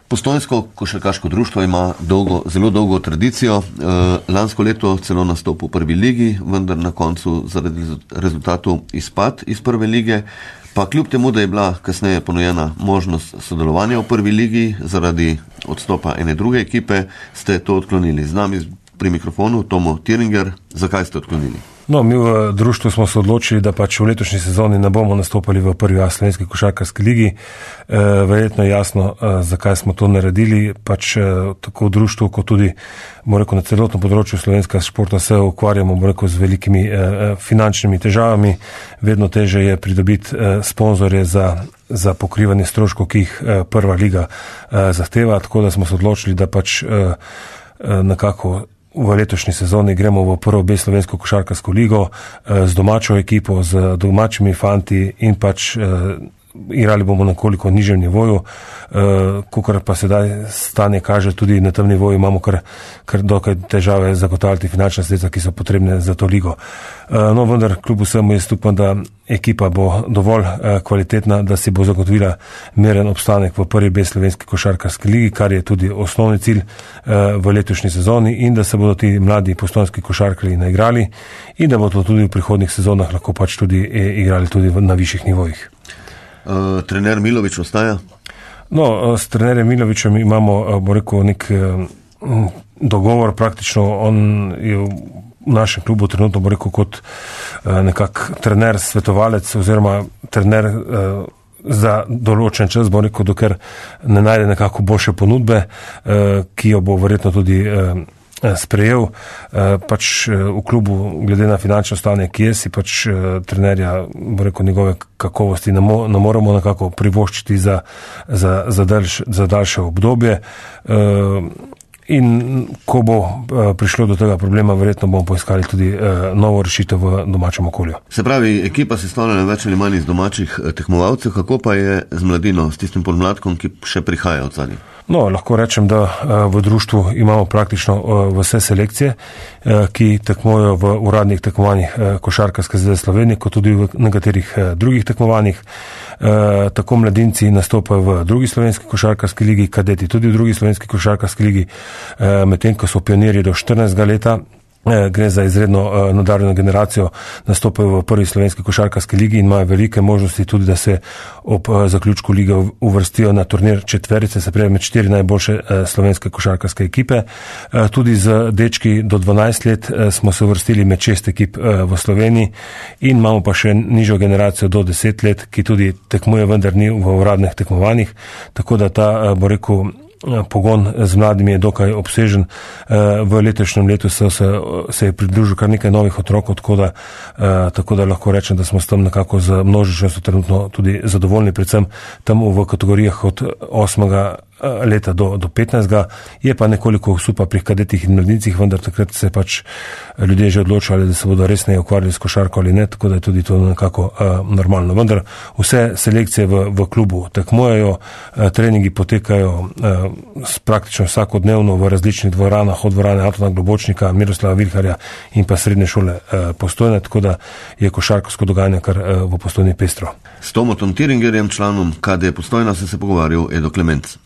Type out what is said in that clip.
Postojnsko košarkaško društvo ima zelo dolgo tradicijo. Lansko leto celo nastop v prvi ligi, vendar na koncu zaradi rezultatov izpad iz prve lige. Pa kljub temu, da je bila kasneje ponujena možnost sodelovanja v prvi ligi zaradi odstopa ene druge ekipe, ste to odklonili. Z nami pri mikrofonu Tomo Tiringer. Zakaj ste odklonili? No, mi v društvu smo se odločili, da pač v letošnji sezoni ne bomo nastopali v prvi A slovenski košarkarski ligi. Verjetno je jasno, zakaj smo to naredili. Pač tako v društvu, kot tudi na celotnem področju slovenskega športa se ukvarjamo z velikimi finančnimi težavami. Vedno teže je pridobiti sponzorje za pokrivanje stroškov, ki jih prva liga zahteva. Tako da smo se odločili, da pač nekako v letošnji sezoni gremo v prvo B slovensko košarkarsko ligo z domačo ekipo, z domačimi fanti in pač igrali bomo na koliko nižjem nivoju, kakor pa sedaj stanje kaže, tudi na tem nivoju imamo kar dokaj težave zagotavljati finančna sredstva, ki so potrebne za to ligo. No, vendar kljub vsemu jaz upam, da ekipa bo dovolj kvalitetna, da si bo zagotovila meren obstanek v prvi B slovenski košarkarski ligi, kar je tudi osnovni cilj v letošnji sezoni, in da se bodo ti mladi postojnski košarkarji naigrali in da bodo tudi v prihodnjih sezonah lahko pač tudi igrali tudi na višjih nivojih. Trener Milović ostaja? No, s trenerjem Milovićem imamo, nek dogovor praktično. On je v našem klubu trenutno, kot nekak trener, svetovalec oziroma trener za določen čas, dokler ne najde nekako boljše ponudbe, ki jo bo verjetno tudi sprejel. Pač v klubu, glede na finančno stanje, ki je, si pač trenerja, njegove kakovosti ne moremo nekako privoščiti za daljše obdobje. In ko bo prišlo do tega problema, verjetno bomo poiskali tudi novo rešitev v domačem okolju. Se pravi, ekipa se stavlja več ali manj iz domačih tekmovalcev, kako pa je z mladino, s tistim podmladkom, ki še prihaja od zadnjih? No, lahko rečem, da v društvu imamo praktično vse selekcije, ki tekmujejo v uradnih tekmovanjih Košarkarske zveze Slovenije, kot tudi v nekaterih drugih tekmovanjih. Tako mladinci nastopajo v drugi slovenski košarkarski ligi, kadeti tudi v drugi slovenski košarkarski ligi, medtem ko so pionirji do 14 leta. Gre za izredno nadarjeno generacijo, nastopajo v prvi slovenski košarkarski ligi in imajo velike možnosti tudi, da se ob zaključku lige uvrstijo na turnir četverice, se pravi med 4 najboljše slovenske košarkarske ekipe. Tudi z dečki do 12 let smo se uvrstili med 6 ekip v Sloveniji in imamo pa še nižjo generacijo do 10 let, ki tudi tekmuje, vendar ni v uradnih tekmovanjih, tako da ta, pogon z mladimi je dokaj obsežen. V letošnjem letu se je pridružil kar nekaj novih otrok, tako da lahko rečem, da smo s tem nekako z množičnostjo trenutno tudi zadovoljni, predvsem tam v kategorijah od 8. leta do 15. Je pa nekoliko supa pri kadetih in mladincih, vendar takrat se pač ljudje že odločali, da se bodo resneje ukvarjali s košarko ali ne, tako da je tudi to nekako normalno. Vendar vse selekcije v klubu tekmujejo, treningi potekajo praktično vsakodnevno v različnih dvoranah, od dvorane Antona Globočnika, Miroslava Vilharja in pa srednje šole Postojne, tako da je košarkarsko dogajanje kar v Postojni pestro. S Tomom Tiringerjem, članom KD Postojna, se pogovarjal Edo Klemenc.